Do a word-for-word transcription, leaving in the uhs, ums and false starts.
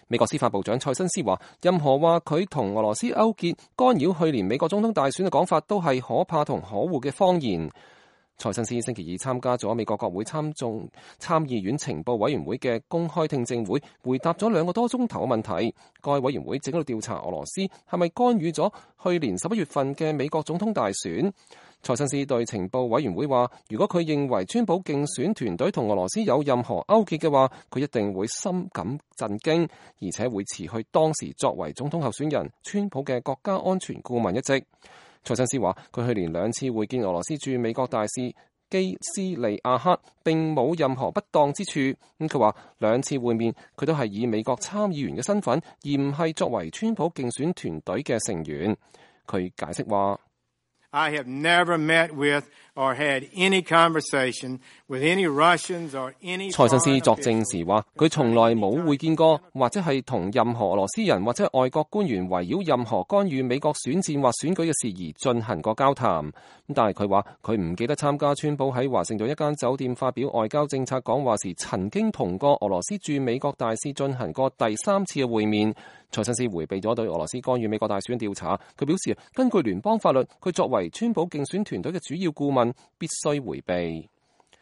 美國司法部長蔡新斯話，任何話佢同俄羅斯勾結干擾去年美國總統大選嘅講法都係可怕同可惡嘅謊言。蔡新斯星期二參加咗美國國會參眾參議院情報委員會嘅公開聽證會，回答咗兩個多鐘頭嘅問題。該委員會正喺度調查俄羅斯係咪干預咗去年十一月份嘅美國總統大選。蔡新斯對情報委員會話，如果佢認為川普競選團隊同俄羅斯有任何勾結嘅話，佢一定會深感震驚，而且會辭去當時作為總統候選人川普嘅國家安全顧問一職。蔡新斯話，佢去年兩次會見俄羅斯駐美國大使基斯利亞克並冇任何不當之處。咁佢話兩次會面佢都係以美國參議員嘅身份，而唔係作為川普競選團隊嘅成員。佢解釋話I have never met with or had any conversation with any Russians or any。蔡新斯作證時話，佢從來冇會見過，或者係同任何俄羅斯人或者外國官員圍繞任何干預美國選戰或選舉嘅事宜進行過交談。但係佢話佢唔記得參加川普喺華盛頓一間酒店發表外交政策講話時，曾經同過俄羅斯駐美國大使進行過第三次嘅會面。蔡新斯迴避咗對俄羅斯干預美國大選調查。佢表示，根據聯邦法律，佢作為川普競選團隊嘅主要顧問，必須迴避。